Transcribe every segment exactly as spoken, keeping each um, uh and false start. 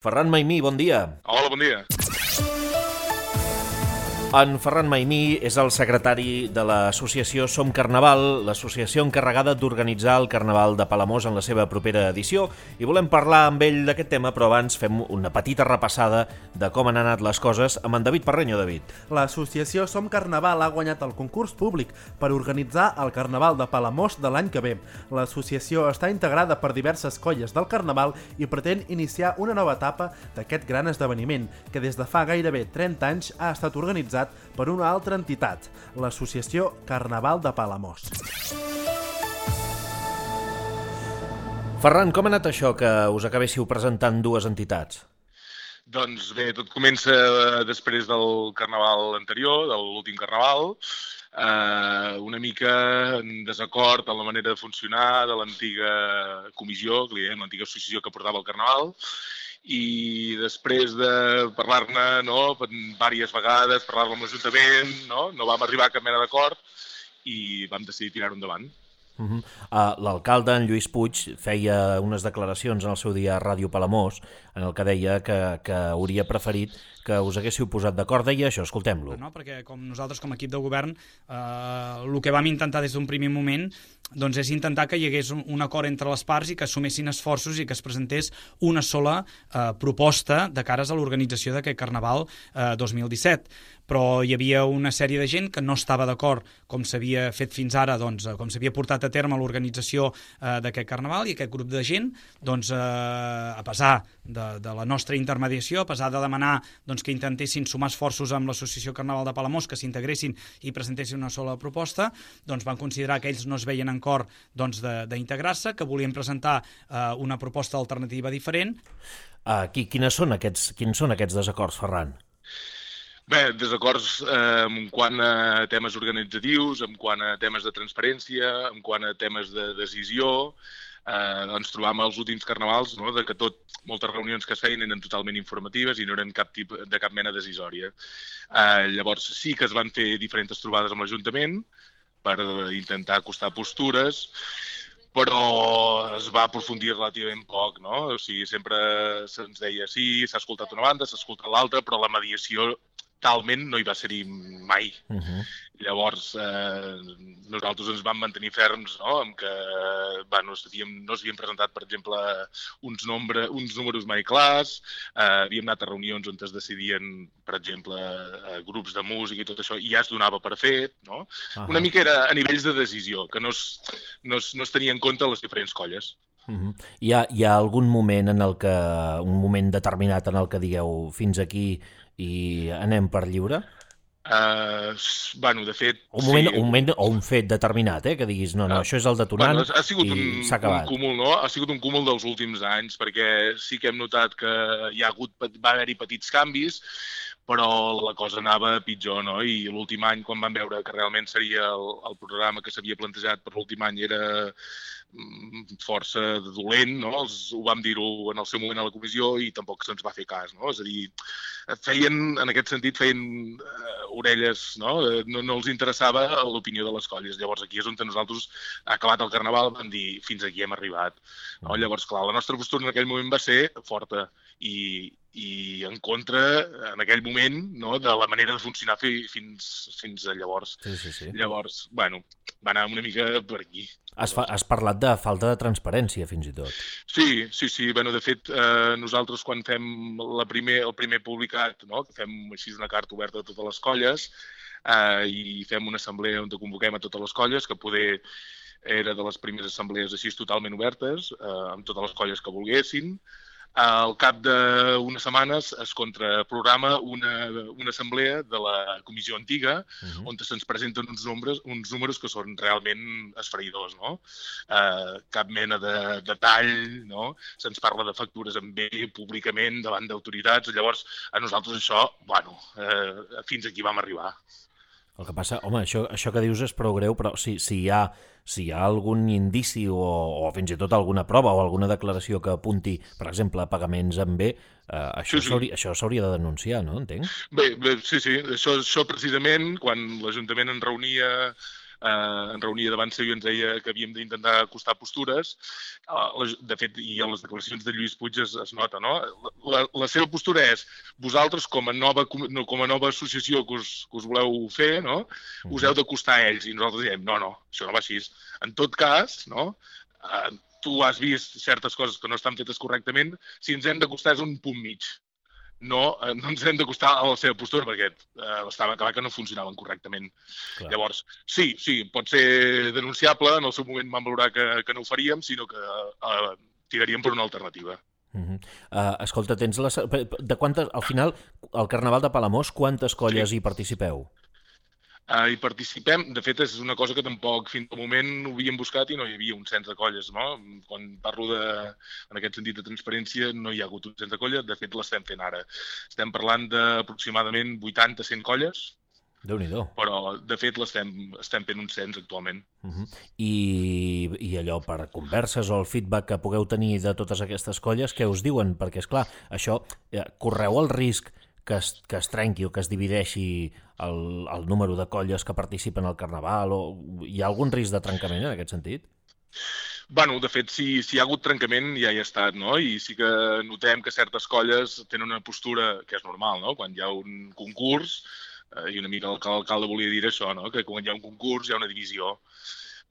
Ferran Maimí, bon dia. Hola, bon dia. En Ferran Maimí és el secretari de l'associació Som Carnaval, l'associació encarregada d'organitzar el Carnaval de Palamós en la seva propera edició, i volem parlar amb ell d'aquest tema, però abans fem una petita repassada de com han anat les coses amb en David Parreño. David. L'associació Som Carnaval ha guanyat el concurs públic per organitzar el Carnaval de Palamós de l'any que ve. L'associació està integrada per diverses colles del Carnaval i pretén iniciar una nova etapa d'aquest gran esdeveniment, que des de fa gairebé trenta anys ha estat organitzat per una altra entitat, l'Associació Carnaval de Palamós. Ferran, com ha anat això que us acabéssiu presentant dues entitats? Doncs bé, tot comença després del carnaval anterior, de l'últim carnaval, eh, una mica en desacord amb la manera de funcionar de l'antiga comissió, que li dèiem, l'antiga associació que portava el carnaval, i després de parlar-ne no, diverses vegades, parlar-ne amb l'Ajuntament, no, no vam arribar a cap mena d'acord i vam decidir tirar-ho endavant. Uh -huh. uh, L'alcalde, en Lluís Puig, feia unes declaracions en el seu dia a Ràdio Palamós en el que deia que, que hauria preferit que us haguéssiu posat d'acord. Deia això, escoltem-lo. No, perquè com nosaltres com a equip de govern eh, el que vam intentar des d'un primer moment doncs és intentar que hi hagués un, un acord entre les parts i que assumessin esforços i que es presentés una sola eh, proposta de cares a l'organització d'aquest Carnaval eh, dos mil disset. Però hi havia una sèrie de gent que no estava d'acord com s'havia fet fins ara, doncs, com s'havia portat a terme l'organització eh, d'aquest Carnaval, i aquest grup de gent, doncs, eh, a pesar de, de la nostra intermediació, a pesar de demanar doncs, que intentessin sumar esforços amb l'Associació Carnaval de Palamós, que s'integressin i presentessin una sola proposta, doncs van considerar que ells no es veien en cor doncs, d'integrar-se, que volien presentar eh, una proposta alternativa diferent. Uh, qui, quines són aquests, quins són aquests desacords, Ferran? Bé, desacords eh, en quant a temes organitzatius, en quant a temes de transparència, en quant a temes de decisió. Eh, ens trobàvem als últims carnavals, no?, de que tot, moltes reunions que es feien eren totalment informatives i no eren cap tipus, de cap mena decisòria. Eh, llavors sí que es van fer diferents trobades amb l'Ajuntament per intentar acostar postures, però es va aprofundir relativament poc, no? O sigui, sempre se'ns deia sí, s'ha escoltat una banda, s'ha escoltat l'altra, però la mediació talment no hi va ser-hi mai. Uh-huh. Llavors, eh, nosaltres ens vam mantenir ferms, no?, amb que bueno, havíem, no s'havien presentat, per exemple, uns, nombre, uns números mai clars, eh, havíem anat a reunions on es decidien, per exemple, eh, grups de música i tot això, i ja es donava per fet, no? Uh-huh. Una mica era a nivells de decisió, que no es, no es, no es tenia en compte les diferents colles. Uh-huh. Hi ha, hi ha algun moment en el que, un moment determinat en el que digueu fins aquí i anem per lliure? Uh, bueno, de fet... Un moment, sí. un moment o un fet determinat, eh? Que diguis, no, no, uh, això és el detonant bueno, ha sigut i un, s'ha acabat. Un cúmul, no? Ha sigut un cúmul dels últims anys, perquè sí que hem notat que hi ha hagut, va haver-hi petits canvis, però la cosa anava pitjor, no? I l'últim any, quan vam veure que realment seria el, el programa que s'havia plantejat per l'últim any era força dolent, no? Els, ho vam dir-ho en el seu moment a la comissió i tampoc se'ns va fer cas, no? És a dir, feien, en aquest sentit, feien uh, orelles, no? No, no els interessava l'opinió de les colles. Llavors aquí és on nosaltres, acabat el Carnaval, vam dir fins aquí hem arribat. No? Llavors, clar, la nostra postura en aquell moment va ser forta i, i en contra, en aquell moment, no, de la manera de funcionar fins, fins a llavors. Sí, sí, sí. Llavors, bueno, va anar una mica per aquí. Has, fa, has parlat de falta de transparència, fins i tot. Sí, sí, sí. Bueno, de fet, eh, nosaltres quan fem la primer, el primer publicat, no, que fem així una carta oberta a totes les colles eh, i fem una assemblea on convoquem a totes les colles, que poder era de les primeres assemblees així totalment obertes, eh, amb totes les colles que volguessin. Al cap d'unes setmanes es contraprograma una, una assemblea de la comissió antiga, uh-huh. on se'ns presenten uns números, uns números que són realment esfereïdors, no? Eh, cap mena de detall, no? Se'ns parla de factures en bé públicament davant d'autoritats. Llavors, a nosaltres això, bueno, eh, fins aquí vam arribar. El que passa, home, això, això que dius és prou greu, però si, si, hi ha, si hi ha algun indici o, o fins i tot alguna prova o alguna declaració que apunti, per exemple, a pagaments en bé, eh, això sí, sí. s'hauria de denunciar, no? Entenc? Bé, bé sí, sí. Això, això precisament, quan l'Ajuntament en reunia eh, en reunia davant seu i ens deia que havíem d'intentar acostar postures. Eh, de fet, i a les declaracions de Lluís Puig es, es nota, no? La, la seva postura és, vosaltres com a nova, com a nova associació que us, que us voleu fer, no? Us heu d'acostar a ells. I nosaltres diem, no, no, això no va així. En tot cas, no? Eh, tu has vist certes coses que no estan fetes correctament, si ens hem d'acostar és un punt mig. No, no ens hem d'acostar a la seva postura perquè eh, estava clar que no funcionaven correctament. Clar. Llavors, sí, sí, pot ser denunciable, en el seu moment vam valorar que, que no ho faríem, sinó que eh, tiraríem per una alternativa. Uh -huh. uh, escolta, tens la... de quantes, al final, al Carnaval de Palamós, quantes colles sí. hi participeu? Uh, hi participem, de fet és una cosa que tampoc fins al moment ho havíem buscat i no hi havia un cens de colles, no? Quan parlo de, en aquest sentit de transparència, no hi ha hagut un cens de colles, de fet l'estem fent ara. Estem parlant d'aproximadament vuitanta a cent colles, Déu-n'hi-do. Però de fet l'estem estem fent un cens actualment. Uh -huh. I, I allò per converses o el feedback que pugueu tenir de totes aquestes colles, què us diuen? Perquè, és clar, això, eh, correu el risc que es, que es trenqui o que es divideixi el, el número de colles que participen al Carnaval, o hi ha algun risc de trencament en aquest sentit? Bueno, de fet, si, si hi ha hagut trencament ja hi ha estat, no? I sí que notem que certes colles tenen una postura que és normal, no? Quan hi ha un concurs, eh, i una mica l'alcalde volia dir això, no? Que quan hi ha un concurs hi ha una divisió.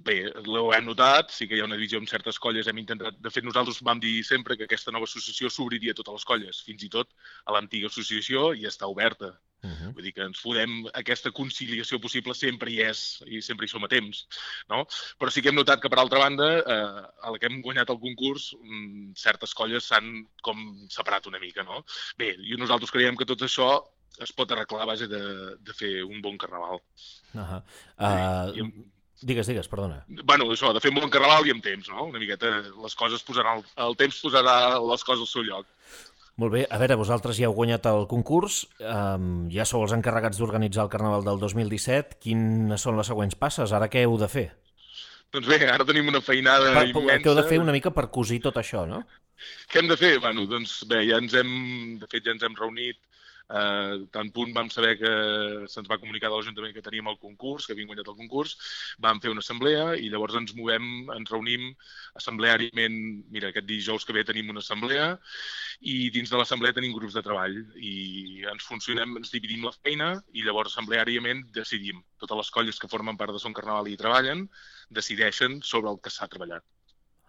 Bé, ho hem notat, sí que hi ha una divisió amb certes colles, hem intentat... De fet, nosaltres vam dir sempre que aquesta nova associació s'obriria a totes les colles, fins i tot a l'antiga associació, i està oberta. Uh -huh. Vull dir que ens podem... Aquesta conciliació possible sempre hi és, i sempre hi som a temps, no? Però sí que hem notat que, per altra banda, eh, a la que hem guanyat el concurs, mmm, certes colles s'han com separat una mica, no? Bé, i nosaltres creiem que tot això es pot arreglar a base de, de fer un bon carnaval. Uh -huh. uh... Sí, i amb... Digues, digues, perdona. Bueno, això, de fer un bon carnaval i amb temps, no? Una miqueta, les coses posaran... El temps posarà les coses al seu lloc. Molt bé. A veure, vosaltres ja heu guanyat el concurs, um, ja sou els encarregats d'organitzar el Carnaval del dos mil disset. Quines són les següents passes? Ara què heu de fer? Doncs bé, ara tenim una feinada per, immensa. Què heu de fer una mica per cosir tot això, no? Què hem de fer? Bueno, doncs bé, ja ens hem... De fet, ja ens hem reunit. Uh, tant punt vam saber que se'ns va comunicar de l'Ajuntament que teníem el concurs, que havíem guanyat el concurs, vam fer una assemblea i llavors ens movem, ens reunim assembleàriament. Mira, aquest dijous que ve tenim una assemblea i dins de l'assemblea tenim grups de treball i ens funcionem, ens dividim la feina i llavors assembleàriament decidim. Totes les colles que formen part de Son Carnaval i hi treballen decideixen sobre el que s'ha treballat.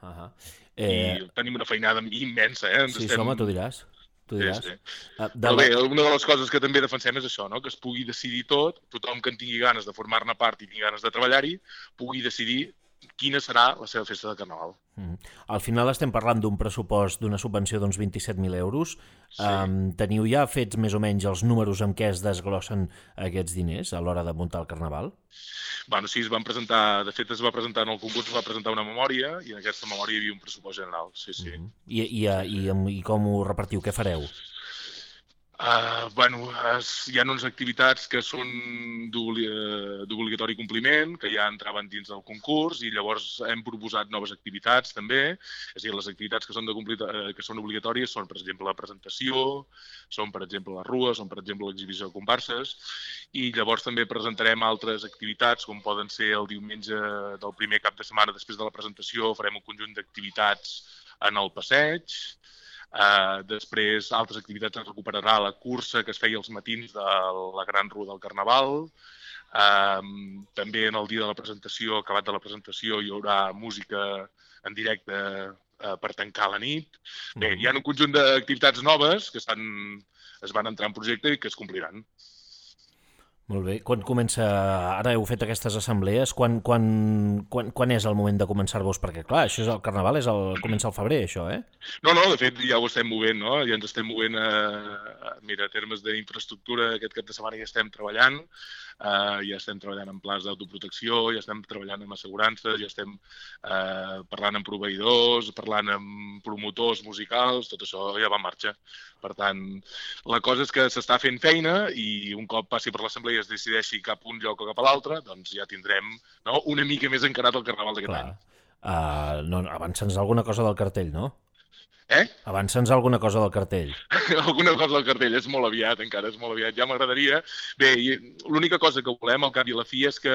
Uh -huh. eh... I tenim una feinada immensa, eh? Ens sí, estem... home, tu diràs. Tu diràs. Sí, sí. Uh, Però bé, una de les coses que també defensem és això, no? Que es pugui decidir tot, tothom que en tingui ganes de formar-ne part i tingui ganes de treballar-hi, pugui decidir quina serà la seva festa de Carnaval. Mm. Al final estem parlant d'un pressupost, d'una subvenció d'uns vint-i-set mil euros. Sí. Um, teniu ja fets més o menys els números amb què es desglossen aquests diners a l'hora de muntar el Carnaval? Bueno, sí, es van presentar, de fet es va presentar en el concurs, es va presentar una memòria i en aquesta memòria hi havia un pressupost general, sí, sí. Mm-hmm. I, i, i, I com ho repartiu? Què fareu? Uh, bueno, es, hi ha unes activitats que són d'obligatori compliment, que ja entraven dins del concurs, i llavors hem proposat noves activitats també. És a dir, les activitats que són, de, que són obligatòries són, per exemple, la presentació, són, per exemple, la rua, són, per exemple, l'exhibició de comparses, i llavors també presentarem altres activitats, com poden ser el diumenge del primer cap de setmana després de la presentació, farem un conjunt d'activitats en el passeig. Uh, després, altres activitats es recuperarà la cursa que es feia els matins de la Gran Rua del Carnaval. Uh, també en el dia de la presentació, acabat de la presentació, hi haurà música en directe uh, per tancar la nit. Bé, hi ha un conjunt d'activitats noves que estan, es van entrar en projecte i que es compliran. Molt bé. Quan comença... Ara heu fet aquestes assemblees. Quan, quan, quan, quan és el moment de començar-vos? Perquè, clar, això és el Carnaval, és el, comença al febrer, això, eh? No, no, de fet, ja ho estem movent, no? Ja ens estem movent a, a mira, a termes d'infraestructura. Aquest cap de setmana ja estem treballant. Uh, ja estem treballant en plans d'autoprotecció, ja estem treballant amb assegurances, ja estem uh, parlant amb proveïdors, parlant amb promotors musicals, tot això ja va en marxa. Per tant, la cosa és que s'està fent feina i un cop passi per l'assemblea i es decideixi cap un lloc o cap a l'altre, doncs ja tindrem, no, una mica més encarat el Carnaval d'aquest any. Uh, no, avança'ns alguna cosa del cartell, no? Eh? Avança'ns alguna cosa del cartell. Alguna cosa del cartell, és molt aviat, encara és molt aviat. Ja m'agradaria. Bé, l'única cosa que volem al cap i a la fi és que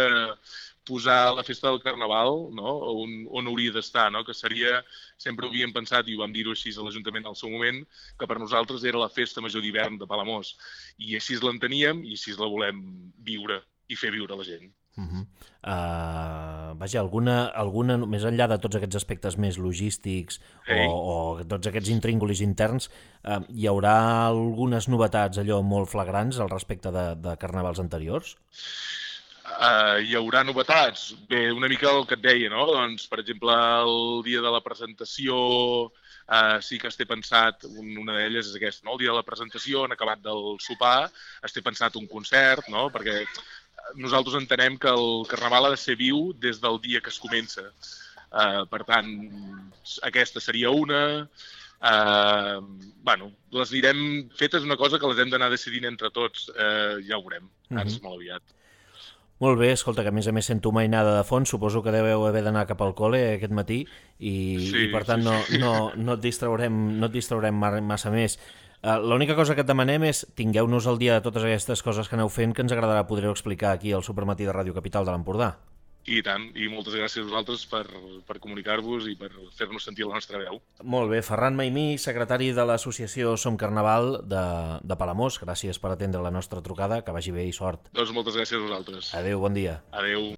posar la festa del Carnaval, no? on, on hauria d'estar, no? Que seria, sempre ho havíem pensat, i ho vam dir-ho així a l'Ajuntament al seu moment, que per nosaltres era la festa major d'hivern de Palamós. I així l'enteníem i així la volem viure i fer viure a la gent. Uh -huh. uh, vaja, alguna, alguna, més enllà de tots aquests aspectes més logístics Ei. o, o tots aquests intríngulis interns, uh, hi haurà algunes novetats allò molt flagrants al respecte de, de carnavals anteriors? Uh, hi haurà novetats? Bé, una mica el que et deia, no? Doncs, per exemple, el dia de la presentació uh, sí que es té pensat, una d'elles és aquesta, no? El dia de la presentació, en acabat del sopar, es té pensat un concert, no? Perquè nosaltres entenem que el Carnaval ha de ser viu des del dia que es comença. Uh, per tant, aquesta seria una... Uh, bueno, les anirem... Fetes una cosa que les hem d'anar decidint entre tots, uh, ja ho veurem, ara uh -huh. és molt aviat. Molt bé, escolta, que a més a més sento mainada de fons, suposo que deveu haver d'anar cap al col·le aquest matí i, sí, i per tant sí, no, sí. no, no et distraurem, no et distraurem massa més. Uh, L'única cosa que et demanem és tingueu-nos al dia de totes aquestes coses que aneu fent, que ens agradarà poder-ho explicar aquí al Supermatí de Ràdio Capital de l'Empordà. I tant, i moltes gràcies a vosaltres per, per comunicar-vos i per fer-nos sentir la nostra veu. Molt bé, Ferran Maimí, secretari de l'associació Som Carnaval de, de Palamós, gràcies per atendre la nostra trucada, que vagi bé i sort. Doncs moltes gràcies a vosaltres. Adéu, bon dia. Adéu.